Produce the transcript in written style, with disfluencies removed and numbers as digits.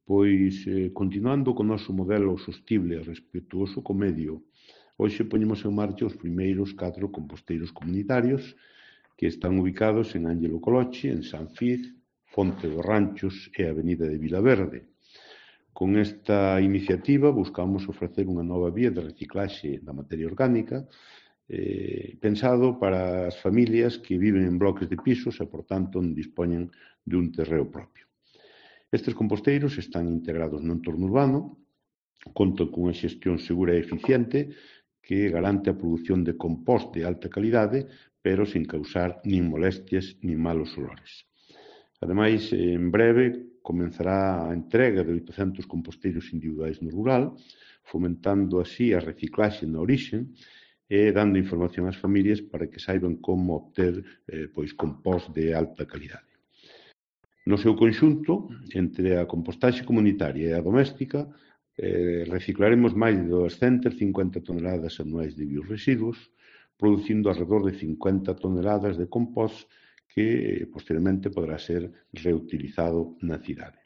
Pois, continuando co noso modelo sostible e respetuoso co medio, hoxe poñemos en marcha os primeiros 4 composteiros comunitarios que están ubicados en Ángelo Colochi, en Sanfiz, Fonte dos Ranchos e Avenida de Vilaverde. Con esta iniciativa buscamos ofrecer unha nova vía de reciclaxe da materia orgánica pensado para as familias que viven en bloques de pisos e, por tanto, non dispoñen dun terreo propio. Estes composteiros están integrados no entorno urbano, contan cunha xestión segura e eficiente que garante a produción de compost de alta calidade, pero sin causar nin molestias nin malos olores. Ademais, en breve comenzará a entrega de 800 composteiros individuais no rural, fomentando así a reciclaxe na orixe e dando información ás familias para que saiban como obter compost de alta calidade. No seu conxunto, entre a compostaxe comunitaria e a doméstica, reciclaremos máis de 250 toneladas anuais de biorresiduos, producindo alrededor de 50 toneladas de compost que posteriormente poderá ser reutilizado na cidade.